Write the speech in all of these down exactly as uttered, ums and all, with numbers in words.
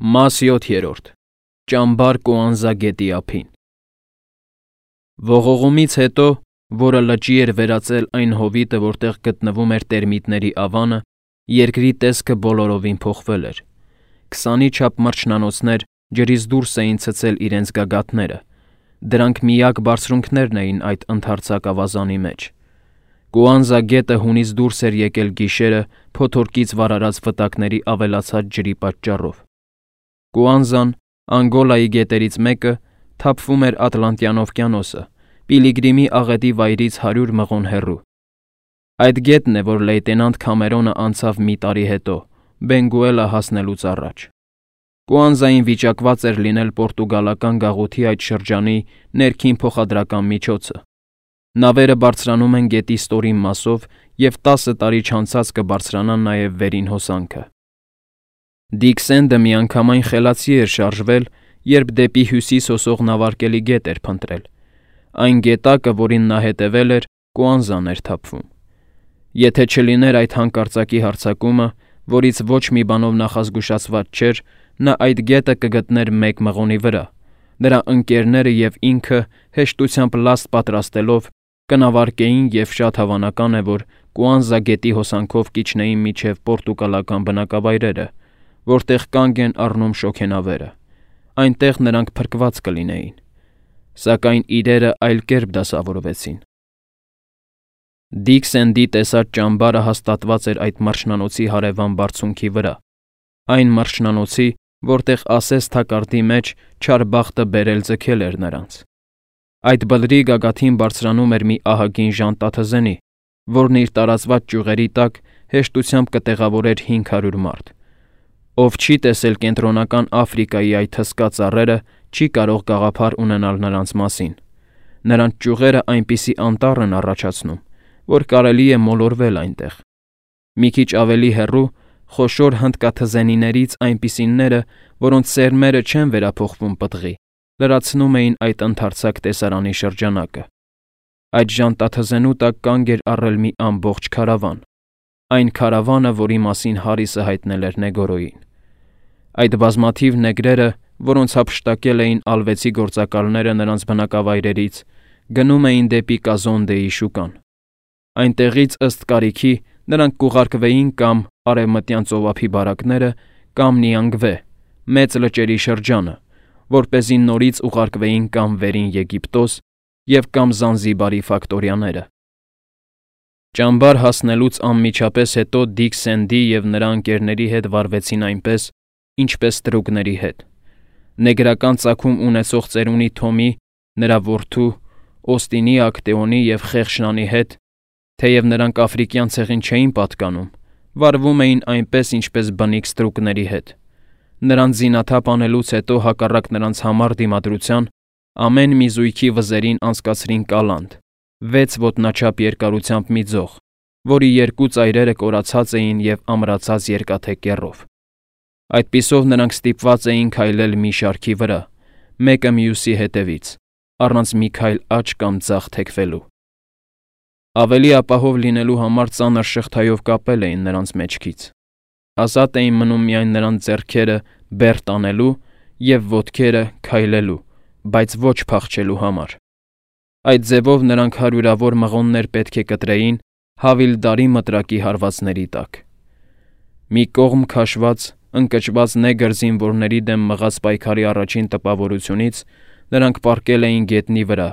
Մաս յոթերորդ. Ճամբար Կոանզա գետի ափին։ Ողողումից հետո, որը լճի էր վերածել այն հովիտը, որտեղ գտնվում էր տերմիտների ավանը, երկրի տեսքը բոլորովին փոխվել էր։ Քսանի չափ մրջնանոցներ ջրից դուրս էին ցցել իրենց գագաթները, դրանք միակ բարձրունքներն էին այդ ընդարձակ ավազանի մեջ։ Կոանզա գետը հունից դուրս էր եկել գիշերը փոթորկից վարարած վտակների ավելացած ջրի պատճառով։ Կոանզան, Անգոլայի գետերից մեկը, թափվում էր Ատլանտյան օվկիանոսը, Պիլիգրիմի աղետի վայրից հարյուր մղոն հեռու։ Այդ գետն է, որ լեյտենանտ Քամերոնը անցավ մի տարի հետո, Բենգուելա հասնելուց առաջ։ Կոանզային վիճակված էր լինել պորտուգալական գաղութի այդ շրջանի ներքին փոխադրական միջոցը։ Նավերը բարձրանում են գետի ստորին մասով և տասը տարի չանցած կբարձրանան նաև վերին հոսանքը։ Դիքսենդը միանգամայն խելացի էր շարժվել, երբ դեպի հյուսիս հոսող նավարկելի գետ էր փնտրել։ Այն գետակը, որին նա հետևել էր, Կոանզան էր թափվում։ Եթե չլիներ այդ հանկարծակի հարձակումը, որից ոչ մի բանով նախազգուշացված չէր, նա այդ գետը կգտներ մեկ մղոնի վրա։ Նրա ընկերները և ինքը հեշտությամբ լաստ պատրաստելով կնավարկեին և շատ հավանական է, որ Կոանզա գետի հոսանքով կիջնեին մինչև պորտուգալական բնակավայրերը, որտեղ կանգ են առնում շոգենավերը։ Այնտեղ նրանք փրկված կլինեին։ Սակայն իրերը այլ կերպ դասավորվեցին։ Դիքսենդի տեսած ճամբարը հաստատված էր այդ մրջնանոցի հարևան բարձունքի վրա, այն մրջնանոցի, որտեղ ասես թակարդի մեջ չար բախտը բերել ձգել էր նրանց։ Այդ բլրի գագաթին բարձրանում էր մի ահագին ժանտաթզենի, որն իր տարածված ճյուղերի տակ հեշտությամբ կտեղավորեր հինգ հարյուր մարդ։ Ով չի տեսել Կենտրոնական Աֆրիկայի այդ հսկա ծառերը, չի կարող գաղափար ունենալ նրանց մասին։ Նրանց ճյուղերը այնպիսի անտառ են առաջացնում, որ կարելի է մոլորվել այնտեղ։ Մի քիչ ավելի հեռու խոշոր հնդկաթզենիներից այնպիսիները, որոնց սերմերը չեն վերափոխվում պտղի, լրացնում էին այդ ընդարձակ տեսարանի շրջանակը։ Այդ ժանտաթզենու տակ կանգ էր առել մի ամբողջ քարավան, այն քարավանը, որի մասին Հարիսը հայտնել էր Նեգորոյին։ Այդ բազմաթիվ նեգրերը, որոնց հափշտակել էին ալվեցի գործակալները նրանց բնակավայրերից, գնում էին դեպի Կազոնդեի շուկան։ Այնտեղից ըստ կարիքի նրանք կուղարկվեին կամ Արևմտյան ծովափի բարակները, կամ Նիանգվե, մեծ լճերի շրջանը, որպեսզի նորից ուղարկվեին կամ Վերին Եգիպտոս և կամ Զանզիբարի ֆակտորիաները։ Ճամբար հասնելուց անմիջապես հետո Դիքսենդի և նրա ընկերների հետ վարվեցին այնպես, ինչպես ստրուկների հետ։ Նեգրական ծագում ունեցող ծերունի Թոմի, նրա որդու, Օստինի, Ակտեոնի և Խեղշնանի հետ, թեև նրանք աֆրիկյան ցեղին չէին պատկանում, վարվում էին այնպես, ինչպես բնիկ ստրուկների հետ։ Նրանց զինաթափ անելուց հետո հակառակ նրանց համառ դիմադրության, ամեն մի զույգի վզերին անցկացրին կալանդ, վեց ոտնաչափ երկարությամբ մի ձող, որի երկու ծայրերը կորացած էին և ամրացած երկաթե կեռով։ Այդպիսով նրանք ստիպված էին քայլել մի շարքի վրա, մեկը մյուսի հետևից, առանց մի քայլ աջ կամ ձախ թեքվելու։ Ավելի ապահով լինելու համար ծանր շղթայով կապել էին նրանց մեջքից։ Ազատ էին մնում միայն նրանց ձեռքերը բեռ տանելու և ոտքերը քայլելու, բայց ոչ փախչելու համար։ Այդ ձևով նրանք հարյուրավոր մղոններ պետք է կտրեին Հավիլդարի մտրակի հարվածների տակ։ Մի կողմ քաշված, ընկճված նեգր զինվորների դեմ մղած պայքարի առաջին տպավորությունից նրանք պառկել էին գետնի վրա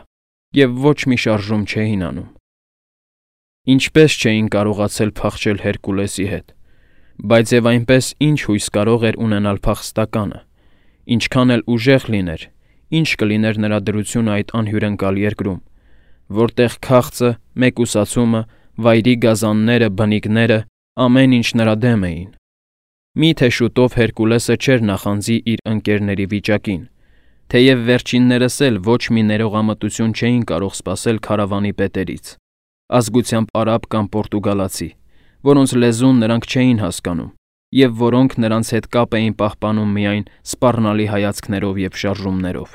և ոչ մի շարժում չէին անում։ Ինչպես չէին կարողացել փախչել Հերկուլեսի հետ, բայց և այնպես ինչ հույս կարող էր ունենալ փախստականը, ինչքան էլ ուժեղ լիներ, ինչ կլիներ նրա դրությունը այդ անհյուրընկալ երկրում, որտեղ քաղցը, մեկուսացումը, վայրի գազանները, բնիկները, ամեն ինչ նրա դեմ էին։ Մի՞թե շուտով Հերկուլեսը չէր նախանձի իր ընկերների վիճակին, թեև վերջիններս էլ ոչ մի ներողամտություն չէին կարող սպասել քարավանի պետերից, ազգությամբ արաբ կամ պորտուգալացի, որոնց լեզուն նրանք չէին հասկանում և որոնք նրանց հետ կապ էին պահպանում միայն սպառնալի հայացքներով և շարժումներով։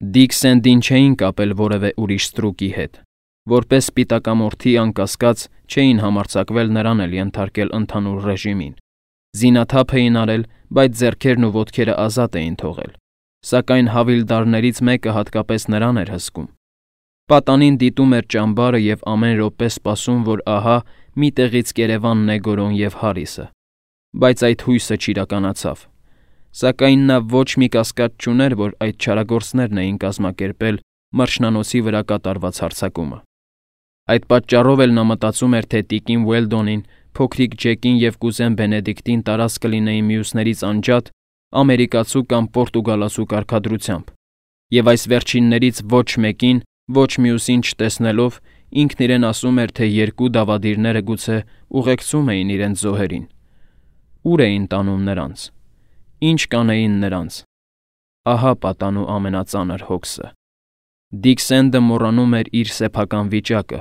Դիքսենդին չէին կապել որևէ ուրիշ ստրուկի հետ, որպես սպիտակամորթի անկասկած չէին համարձակվել նրան էլ ենթարկել ընդհանուր ռեժիմին։ Զինաթափ էին արել, բայց ձեռքերն ու ոտքերը ազատ էին թողել, սակայն հավիլդարներից մեկը հատկապես նրան էր հսկում։ Պատանին դիտում էր ճամբարը և ամեն րոպե սպասում, որ ահա մի տեղից կերևանն է Գորոն և Հարիսը, բայց այդ հույսը չիրականացավ։ Սակայն նա ոչ մի կասկած չուներ, որ այդ չարագործներն էին կազմակերպել մրջնանոցի վրա կատարված հարձակումը։ Այդ պատճառով էլ նա մտածում էր, թե տիկին Ուելդոնին, փոքրիկ Ջեկին և կուզեն Բենեդիկտին տարած կլինեին մյուսներից անջատ ամերիկացու կամ պորտուգալացու կարգադրությամբ, և այս վերջիններից ոչ մեկին, ոչ մյուսին չտեսնելով, ինքն իրեն ասում էր, թե երկու դավադիրները գուցե ուղեկցում էին իրենց զոհերին։ Ուր էին տանում նրանց։ Ինչ կանեին նրանց։ Ահա պատանու ամենածանր հոգսը։ Դիք Սենդը մոռանում էր իր սեփական վիճակը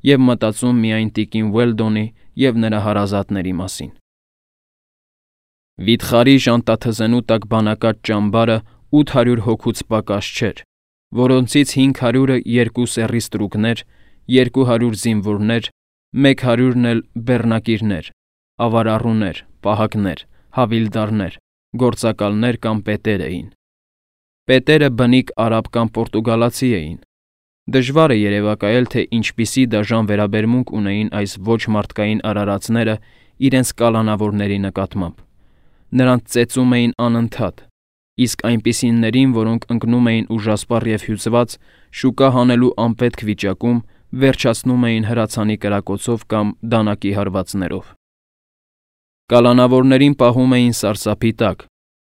և մտածում միայն տիկին Ուելդոնի և նրա հարազատների մասին։ Վիթխարի ժանտաթզենու տակ բանակած ճամբարը ութ հարյուր հոգուց պակաս չէր, որոնցից հինգ հարյուրը երկու սեռի ստրուկներ, երկու հարյուր զինվորներ, մեկ հարյուրն էլ բեռնակիրներ, ավարառուներ, պահակներ, հավիլդարներ, գործակալներ կամ պետեր էին։ Պետերը բնիկ արաբ կամ պորտուգալացի էին։ Դժվար է երևակայել, թե ինչպիսի դաժան վերաբերմունք ունեին այս ոչ մարդկային արարածները իրենց կալանավորների նկատմամբ։ Նրանց ծեծում էին անընդհատ, իսկ այնպիսիներին, որոնք ընկնում էին ուժասպառ և հյուծված, շուկա հանելու անպետք վիճակում, վերջացնում էին հրացանի կրակոցով կամ դանակի հարվածներով։ Կալանավորներին պահում էին սարսափի տակ,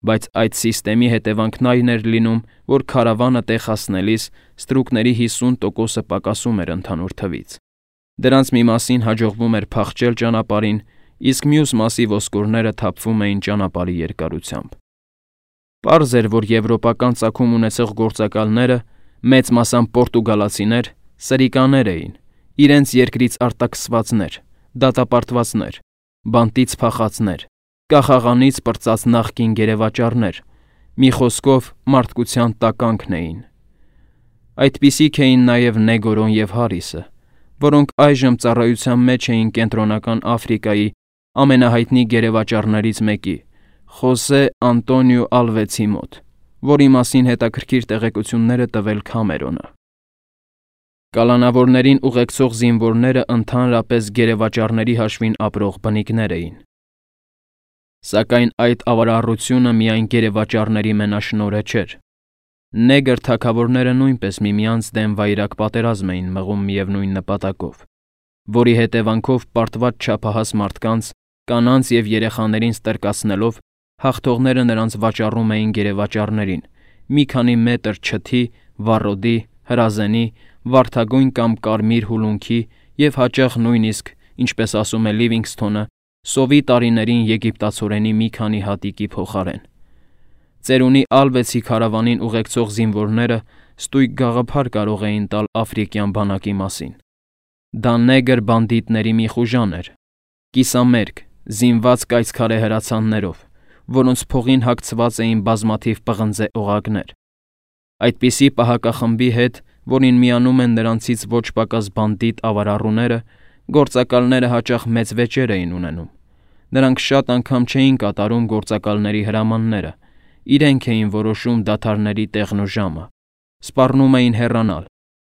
բայց այդ սիստեմի հետևանքն այն էր լինում, որ քարավանը տեղ հասնելիս ստրուկների հիսուն տոկոսը պակասում էր ընդհանուր թվից։ Դրանց մի մասին հաջողվում էր փախչել ճանապարհին, իսկ մյուս մասի ոսկորները թափվում էին ճանապարհի երկարությամբ։ Պարզ էր, որ եվրոպական ծագում ունեցող գործակալները, մեծ մասամբ պորտուգալացիներ, սրիկաներ էին, իրենց երկրից արտաքսվածներ, դատապարտվածներ, բանտից փախածներ, կախաղանից պրծած նախկին գերեվաճառներ, մի խոսքով մարդկության տականքն էին։ Այդպիսիք էին նաև Նեգորոն և Հարիսը, որոնք այժմ ծառայության մեջ էին Կենտրոնական Աֆրիկայի ամենահայտնի գերեվաճառներից մեկի՝ Խոսե Անտոնիո Ալվեցի մոտ, որի մասին հետաքրքիր տեղեկություններ է տվել Քամերոնը։ Կալանավորներին ուղեկցող զինվորները ընդհանրապես գերեվաճառների հաշվին ապրող բնիկներ էին։ Սակայն այդ ավարառությունը միայն գերեվաճառների մենաշնորհը չէր։ Նեգր թագավորները նույնպես միմյանց դեմ վայրագ պատերազմ էին մղում միևնույն նպատակով, որի հետևանքով պարտված չափահաս մարդկանց, կանանց և երեխաներին ստրկացնելով հաղթողները նրանց վաճառում էին գերեվաճառներին՝ մի քանի մետր չթի, վառոդի, հրազենի, վարդագույն կամ կարմիր հուլունքի և հաճախ նույնիսկ, ինչպես ասում է Լիվինգսթոնը, սովի տարիներին եգիպտացորենի մի քանի հատիկի փոխարեն։ Ծերունի Ալվեցի քարավանին ուղեկցող զինվորները ստույգ գաղափար կարող էին տալ աֆրիկյան բանակի մասին։ Դա նեգր բանդիտների մի խուժան էր, կիսամերկ, զինված կայծքարե հրացաններով, որոնց փողին հագցված էին բազմաթիվ պղնձե օղակներ։ Այդպիսի պահակախմբի հետ, որին միանում են նրանցից ոչ պակաս բանդիտ ավարառուները, գործակալները հաճախ մեծ վեճեր էին ունենում։ Նրանք շատ անգամ չէին կատարում գործակալների հրամանները, իրենք էին որոշում դադարների տեղն ու ժամը, սպառնում էին հեռանալ,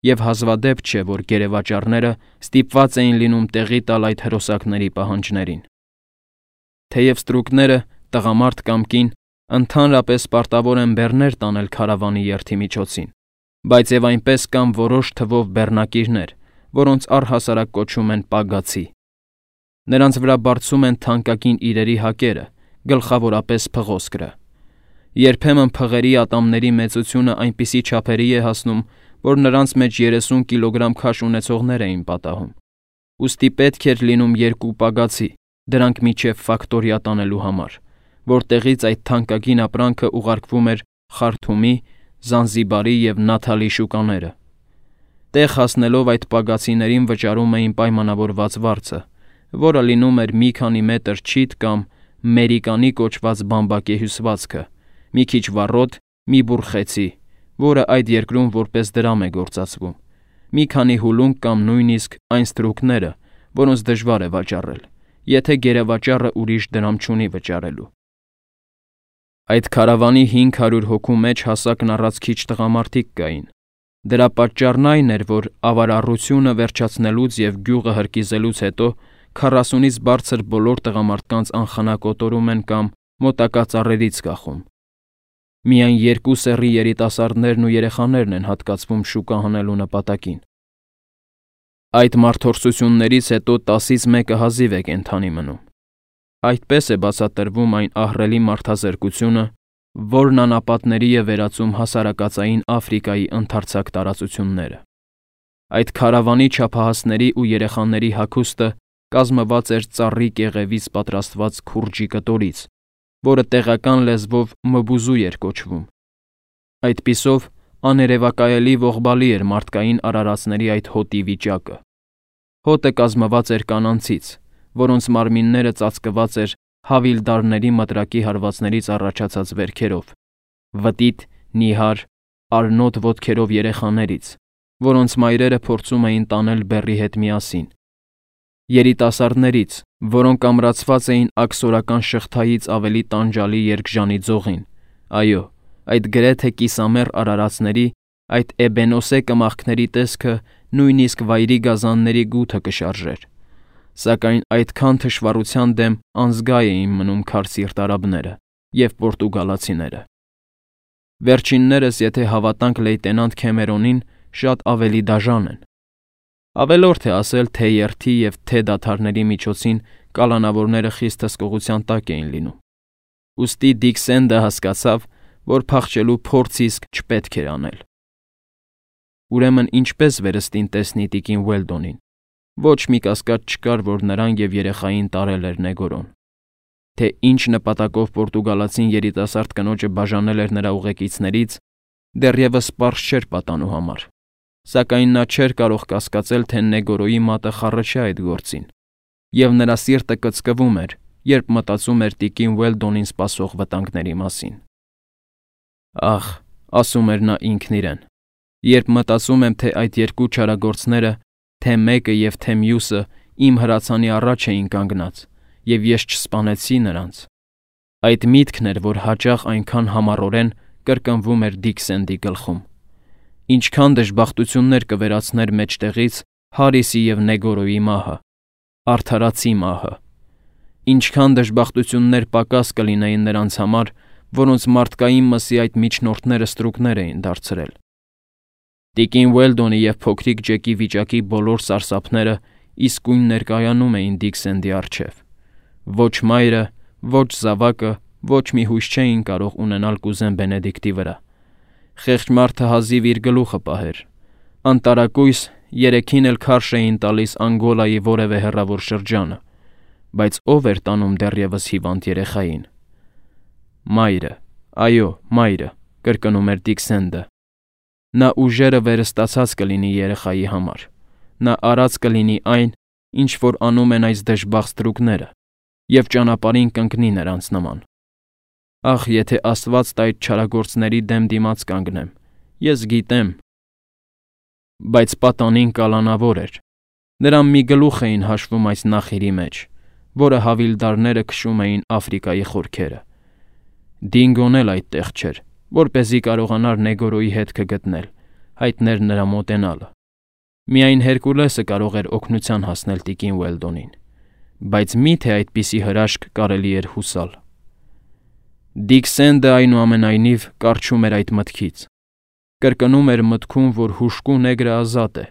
և հազվադեպ չէ, որ գերեվաճառները ստիպված էին լինում տեղի տալ այդ հրոսակների պահանջներին։ Թեև ստրուկները, տղամարդ կամ կին, ընդհանրապես պարտավոր են բեռներ տանել քարավանի երթի միջոցին, բայց և այնպես կան որոշ թվով բեռնակիրներ, որոնց առհասարակ կոչում են պագացի։ Նրանց վրա բարձում են թանկագին իրերի հակերը, գլխավորապես փղոսկրը։ Երբեմն փղերի ատամների մեծությունը այնպիսի չափերի է հասնում, որ նրանց մեջ երեսուն կիլոգրամ քաշ ունեցողներ էին պատահում։ Ուստի պետք էր լինում երկու պագացի, դրանք մինչև ֆակտորիա տանելու համար, որտեղից այդ թանկագին ապրանքը ուղարկվում էր Խարթումի, Զանզիբարի և Նաթալի շուկաները։ Տեղ հասնելով այդ պագացիներին վճարում էին պայմանավորված վարձը, որը լինում էր մի քանի մետր չիթ կամ մերիկանի կոչված բամբակե հյուսվածքը, մի քիչ վառոդ, մի բուռ խեցի, որը այդ երկրում որպես դրամ է գործածվում, մի քանի հուլունք կամ նույնիսկ այն ստրուկները, որոնց դժվար է վաճառել, եթե գերեվաճառը ուրիշ դրամ չունի վճարելու։ Այդ քարավանի հինգ հարյուր հոգու մեջ հասակն առած քիչ տղամարդիկ կային։ Դրա պատճառն այն էր, որ ավարառությունը վերջացնելուց և գյուղը հրկիզելուց հետո քառասունից բարձր բոլոր տղամարդկանց անխնա կոտորում են կամ մոտակա ծառերից կախում։ Միայն երկու սեռի երիտասարդներն ու երեխաներն են հատկացվում շուկա հանելու նպատակին։ Այդ մարդորսություններից հետո տասից մեկը հազիվ է կենդանի մնում։ Այդպես է բացատրվում այն ահռելի մարդազրկությունը, որն անապատների է վերածում հասարակածային Աֆրիկայի ընդարձակ տարածությունները։ Այդ քարավանի չափահասների ու երեխաների հագուստը կազմված էր ծառի կեղևից պատրաստված քուրջի կտորից, որը տեղական լեզվով մբուզու էր կոչվում։ Այդպիսով աներևակայելի ողբալի էր մարդկային արարածների այդ հոտի վիճակը։ Հոտը կազմված էր կանանցից, որոնց մարմինները ծածկված էր հավիլդարների մտրակի հարվածներից առաջացած վերքերով, վտիտ, նիհար, արնոտ ոտքերով երեխաներից, որոնց մայրերը փորձում էին տանել բեռի հետ միասին, երիտասարդներից, որոնք ամրացված էին աքսորական շղթայից ավելի տանջալի երկժանի ձողին, այո, այդ գրեթե կիսամեռ արարածների, այդ էբենոսե կմախքների տեսքը նույնիսկ վայրի գազանների գութը կշարժեր, սակայն այդքան թշվառության դեմ անզգա էին մնում քարսիրտ արաբները և պորտուգալացիները։ Վերջիններս, եթե հավատանք լեյտենանտ Քեմերոնին, շատ ավելի դաժան են։ Ավելորդ է ասել, թե երթի և թե դադարների միջոցին կալանավորները խիստ հսկողության տակ էին լինում։ Ուստի Դիկ Սենդը հասկացավ, որ փախչելու փորձ իսկ չպետք էր անել։ Ուրեմն ինչպես վերստին տեսնի տիկին Ուելդոնին։ Ոչ մի կասկած չկար, որ նրան և երեխային տարել էր Նեգորոն։ Թե ինչ նպատակով պորտուգալացին երիտասարդ կնոջը բաժանել էր նրա ուղեկիցներից, դեռևս պարզ չէր պատանու համար, սակայն նա չէր կարող կասկածել, թե Նեգորոյի մատը խառը չէ այդ գործին, և նրա սիրտը կծկվում էր, երբ մտածում էր տիկին Ուելդոնին սպասող վտանգների մասին։ Ախ, ասում էր նա ինքն իրեն, երբ մտածում եմ, թե այդ երկու չարագործները, թե մեկը և թե մյուսը իմ հրացանի առաջ էին կանգնած, և ես չսպանեցի նրանց։ Այդ միտքն էր, որ հաճախ այնքան համառորեն կրկնվում էր Դիկ Սենդի գլխում։ Ինչքան դժբախտություններ կվերացներ մեջտեղից Հարիսի և Նեգորոյի մահը, արդարացի մահը։ Ինչքան դժբախտություններ պակաս կլինեին նրանց համար, որոնց մարդկային մսի այդ միջնորդները ստրուկներ էին դարձրել։ Տիկին Ուելդոնի և փոքրիկ Ջեկի վիճակի բոլոր սարսափները իսկույն ներկայանում էին Դիկ Սենդի առջև։ Ոչ մայրը, ոչ զավակը, ոչ մի հույս չէին կարող ունենալ կուզեն Բենեդիկտի վրա։ Խեղճ մարդը հազիվ իր գլուխը պահեր։ Անտարակույս երեքին էլ քարշ էին տալիս Անգոլայի որևէ հեռավոր շրջանը, բայց ով էր տանում դեռևս հիվանդ երեխային։ Մայրը, այո, մայրը, կրկնում էր Դիկ Սենդը։ Նա ուժերը վերստացած կլինի երեխայի համար։ Նա արած կլինի այն, ինչ որ անում են այս դժբախտ ստրուկները, և ճանապարհին կընկնի նրանց նման։ Ախ, եթե Աստված տա այդ չարագործների դեմ դիմաց կանգնեմ, ես գիտեմ։ Բայց պատանին կալանավոր էր։ Նրան մի գլուխ էին հաշվում այս նախիրի մեջ, որը հավիլդարները քշում էին Աֆրիկայի խորքերը։ Դինգոն էլ այդտեղ չէր, որպեսզի կարողանար Նեգորոյի հետքը գտնել, հայտներ նրա մոտենալը։ Միայն Հերկուլեսը կարող էր օգնության հասնել տիկին Ուելդոնին, բայց մի՞թե այդպիսի հրաշք կարելի էր հուսալ։ Դիկ Սենդը այնուամենայնիվ կառչում էր այդ մտքից։ Կրկնում էր մտքում, որ հուժկու նեգրը ազատ է։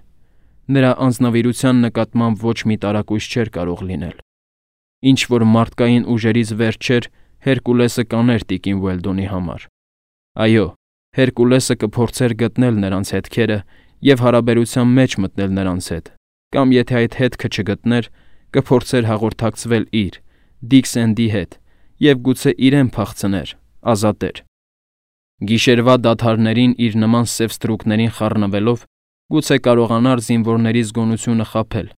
Նրա անձնավիրության նկատմամբ ոչ մի տարակույս չէր կարող լինել։ Ինչ որ մարդկային ուժերից վերջ չէր, Հերկուլեսը կաներ տիկին Ուելդոնի համար։ Այո, Հերկուլեսը կփորձեր գտնել նրանց հետքերը և հարաբերության մեջ մտնել նրանց հետ, կամ եթե այդ հետքը չգտներ, կփորձեր հաղորդակցվել իր, Դիկ Սենդի հետ, և գուցե իրեն փախցներ, ազատեր։ Գիշերվա դադարներին իր նման սև ստրուկներին խառնվելով, գուցե կարողանար զինվորների զգոնությունը խաբել,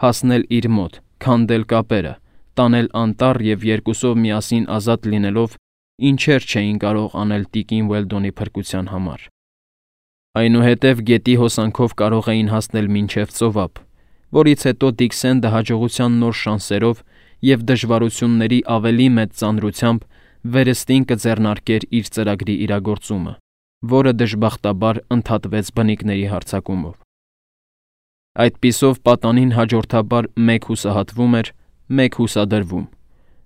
հասնել իր մոտ, քանդել կապերը, տանել անտառ և երկուսով միասին ազատ լինելով ինչեր չէին կարող անել տիկին Ուելդոնի փրկության համար։ Այնուհետև գետի հոսանքով կարող էին հասնել մինչև ծովափ, որից հետո Դիկ Սենդը հաջողության նոր շանսերով և դժվարությունների ավելի մեծ ծանրությամբ վերստին կձեռնարկեր իր ծրագրի իրագործումը, որը դժբախտաբար ընդհատվեց բնիկների հարձակումով։ Այդպիսով պատանին հաջորդաբար մեկ հուսահատվում էր, մեկ հուսադրվում,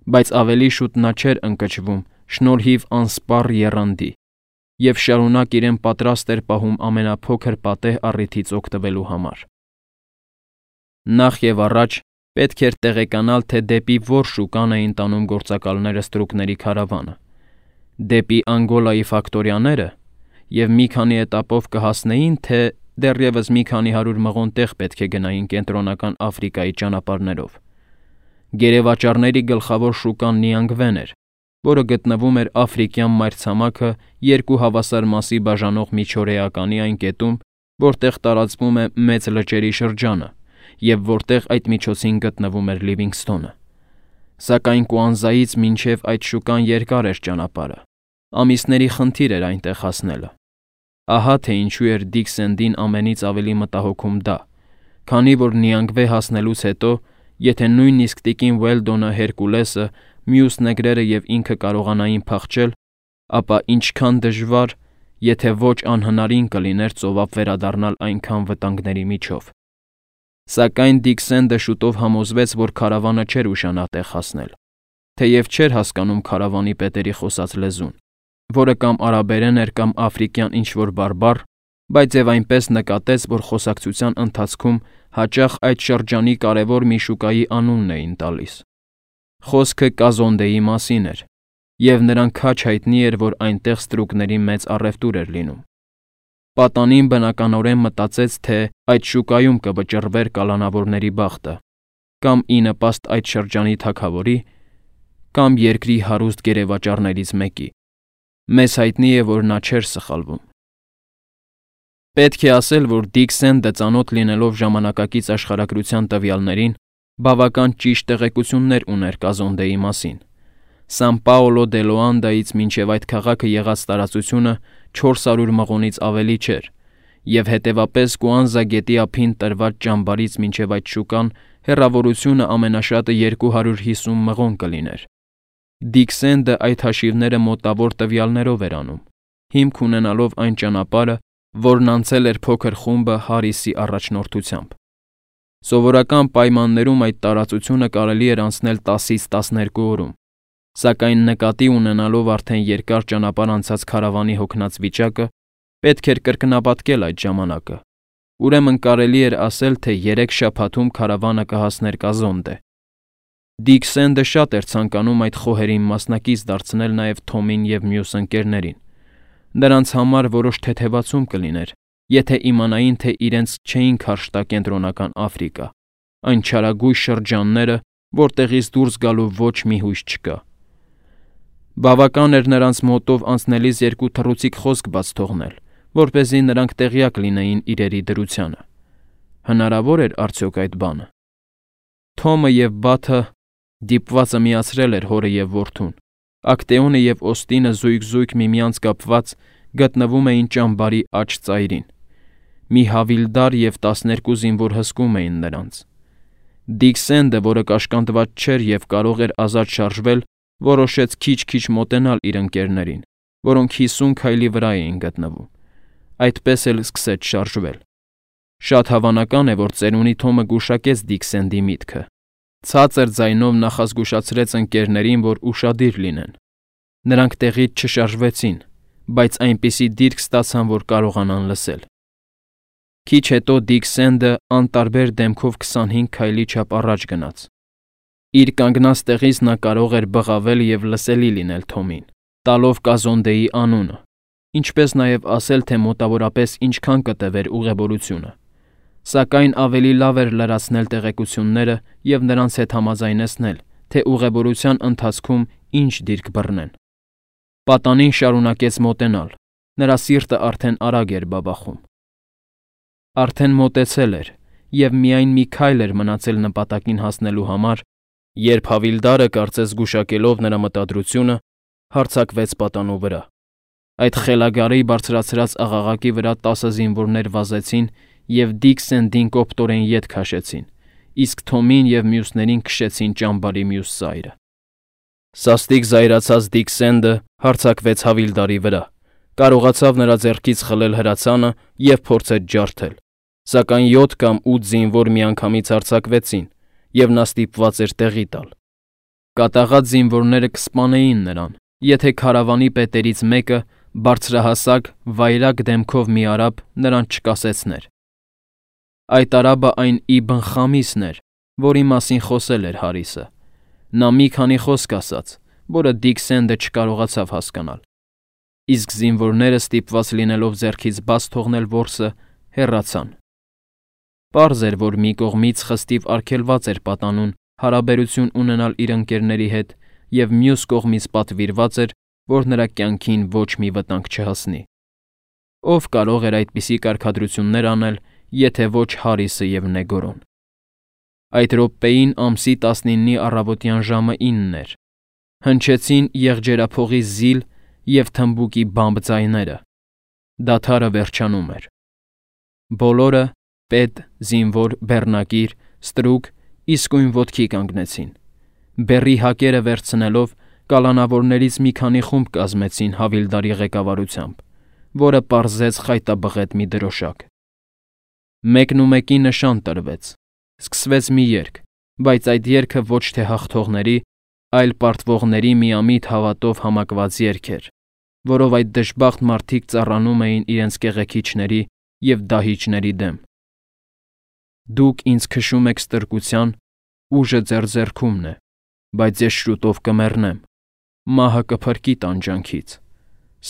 բայց ավելի շուտ նա չէր ընկճվում շնորհիվ անսպառ եռանդի և շարունակ իրեն պատրաստ էր պահում ամենափոքր պատեհ առիթից օգտվելու համար։ Նախ և առաջ պետք էր տեղեկանալ, թե դեպի որ շուկան էին տանում գործակալները ստրուկների քարավանը՝ դեպի Անգոլայի ֆակտորիաները և մի քանի էտապով կհասնեին, թե դեռևս մի քանի հարյուր մղոն տեղ պետք է գնային Կենտրոնական Աֆրիկայի ճանապարհներով։ Գերեվաճառների գլխավոր շուկան Նիանգվեն էր, որը գտնվում էր Աֆրիկյան մայրցամաքը երկու հավասար մասի բաժանող միջօրեականի այն կետում, որտեղ տարածվում է Մեծ լճերի շրջանը և որտեղ այդ միջոցին գտնվում էր Լիվինգսթոնը։ Սակայն Կուանզայից մինչև այդ շուկան երկար էր ճանապարհը, ամիսների խնդիր էր այնտեղ հասնելը։ Ահա թե ինչու էր Դիք Սենդին ամենից ավելի մտահոգում դա, քանի որ Նիանգվե հասնելուց հետո, եթե նույնիսկ տիկին Ուելդոնը, Հերկուլեսը, մյուս նեգրերը և ինքը կարողանային փախչել, ապա ինչքան դժվար, եթե ոչ անհնարին կլիներ ծովափ վերադառնալ այնքան վտանգների միջով։ Սակայն Դիք Սենդը շուտով համոզվեց, որ քարավանը չէր ուշանա տեղ հասնել, թեև չէր հասկանում քարավանի պետերի խոսած լեզուն, որը կամ արաբերեն էր կամ աֆրիկյան ինչ-որ բարբառ, բայց և այնպես նկատեց, որ խոսակցության ընթացքում հաճախ այդ շրջանի կարևոր մի շուկայի անունն էին տալիս։ Խոսքը Կազոնդեի մասին էր, և նրան քաջ հայտնի էր, որ այնտեղ ստրուկների մեծ առևտուր էր լինում։ Պատանին բնականորեն մտածեց, թե այդ շուկայում կվճռվեր կալանավորների բախտը, կամ ի նպաստ այդ շրջանի թագավորի, կամ երկրի հարուստ գերեվաճառներից մեկի։ Մեզ հայտնի է, որ նա չէր սխալվում։ Պետք է ասել, որ Դիք Սենդը ծանոթ լինելով ժամանակակից աշխարհագրության տվյալներին, բավական ճիշտ տեղեկություններ ուներ Կազոնդեի մասին։ Սան Պաոլո դե Լոանդայից մինչև այդ քաղաքը եղած տարածությունը չորս հարյուր մղոնից ավելի չէր, և հետևապես Կուանզա գետի ափին տրված ճամբարից մինչև այդ շուկան հեռավորությունը ամենաշատը երկու հարյուր հիսուն մղոն կլիներ։ Դիք Սենդը այդ հաշիվները մոտավոր տվյալներով էր անում, հիմք ունենալով այն ճանապարհը, որն անցել էր փոքր խումբը Հարիսի առաջնորդությամբ։ Սովորական պայմաններում այդ տարածությունը կարելի էր անցնել տասից տասներկու օրում, սակայն նկատի ունենալով արդեն երկար ճանապարհ անցած քարավանի հոգնած վիճակը, պետք էր կրկնապատկել այդ ժամանակը։ Ուրեմն կարելի էր ասել, թե երեք շաբաթում քարավանը կհասներ Կազոնդե։ Դիք Սենդը շատ էր ցանկանում այդ խոհերին մասնակից դարձնել նաև Թոմին և մյուս ընկերներին։ Նրանց համար որոշ թեթևացում կլիներ, եթե իմանային, թե իրենց չէին քարշ տա Կենտրոնական Աֆրիկա, այն չարագույժ շրջանները, որտեղից դուրս գալու ոչ մի հույս չկա։ Բավական էր նրանց մոտով անցնելիս երկու թռուցիկ խոսք բաց թողնել, որպեսզի նրանք տեղյակ լինեին իրերի դրությանը։ Հնարավոր էր արդյոք այդ բանը։ Թոմը և Բաթը դիպվածը միացրել էր հորը և որդուն։ Ակտեոնը և Օստինը զույգ-զույգ միմյանց կապված գտնվում էին ճամբարի աջ ծայրին։ Մի հավիլդար և տասներկու զինվոր հսկում էին նրանց։ Դիք Սենդը, որը կաշկանդված չէր և կարող էր ազատ շարժվել, որոշեց քիչ-քիչ մոտենալ իր ընկերներին, որոնք հիսուն քայլի վրա էին գտնվում։ Այդպես էլ սկսեց շարժվել։ Շատ հավանական է, որ ծերունի Թոմը գուշակեց Դիք Սենդի միտքը։ Ցածր ձայնով նախազգուշացրեց ընկերներին, որ ուշադիր լինեն։ Նրանք տեղից չշարժվեցին, բայց այնպիսի դիրք ստացան, որ կարողանան լսել։ Քիչ հետո Դիք Սենդը անտարբեր դեմքով քսանհինգ քայլի չափ առաջ գնաց։ Իր կանգնած տեղից նա կարող էր բղավել և լսելի լինել Թոմին, տալով Կազոնդեի անունը, ինչպես նաև ասել, թե մոտավորապես ինչքան կտևեր ուղևորությունը։ Սակայն ավելի լավ էր լրացնել տեղեկությունները և նրանց հետ համաձայնեցնել, թե ուղևորության ընթացքում ինչ դիրք բռնեն։ Պատանին շարունակեց մոտենալ, նրա սիրտը արդեն արագ էր բաբախում։ Արդեն մոտեցել էր, և միայն մի քայլ էր մնացել նպատակին հասնելու համար, երբ հավիլդարը, կարծես զգուշակելով նրա մտադրությունը, հարձակվեց պատանու վրա։ Այդ խելագարի բարձրացրած աղաղակի վրա տասը զինվորներ վազեցին և Դիք Սենդին կոպտորեն ետ քաշեցին, իսկ Թոմին և մյուսներին քշեցին ճամբարի մյուս ծայրը։ Սաստիկ զայրացած Դիքսենդը հարձակվեց Հավիլդարի վրա, կարողացավ նրա ձեռքից խլել հրացանը և փորձեց ջարդել, սակայն յոթ կամ ութ զինվոր միանգամից հարձակվեցին, և նա ստիպված էր տեղի տալ։ Կատաղած զինվորները կսպանեին նրան, եթե քարավանի պետերից մեկը բարձրահասակ, վայրագ դեմքով մի արաբ նրան չկասեցներ։ Այդ արաբը այն Իբն Խամիսն էր, որի մասին խոսել էր Հարիսը։ Նա մի քանի խոսք ասաց, որը Դիքսենդը չկարողացավ հասկանալ, իսկ զինվորները ստիպված լինելով ձեռքից բաց թողնել որսը, հեռացան։ Պարզ էր, որ մի կողմից խստիվ արգելված էր պատանուն հարաբերություն ունենալ իր ընկերների հետ, և մյուս կողմից պատվիրված էր, որ նրա կյանքին ոչ մի վտանգ չհասնի։ Ով կարող էր այդպիսի կարգադրություններ անել, եթե ոչ Հարիսը և Նեգորոն։ Այդ րոպեին ամսի տասնինի առավոտյան ժամը ինն էր։ Հնչեցին եղջերափողի զիլ և թմբուկի բամբ ձայները։ Դադարը վերջանում էր։ Բոլորը՝ պետ, զինվոր, բեռնակիր, ստրուկ, իսկույն ոտքի կանգնեցին։ Բեռի հակերը վերցնելով, կալանավորներից մի քանի խումբ կազմեցին Հավիլդարի ղեկավարությամբ, որը պարզեց խայտաբղետ մի դրոշակ։ Մեկնումեկի նշան տրվեց։ Սկսվեց մի երգ, բայց այդ երգը ոչ թե հաղթողների, այլ պարտվողների միամիտ հավատով համակված երգ էր, որով այդ դժբախտ մարդիկ ծառանում էին իրենց կեղեքիչների և դահիճների դեմ։ Դուք ինձ քշում եք ստրկության, ուժը ձեր ձեռքումն է, բայց ես շուտով կմեռնեմ, մահը կփրկի տանջանքից,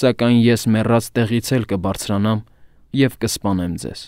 սակայն ես մեռած տեղից էլ կբարձրանամ և կսպանեմ ձեզ։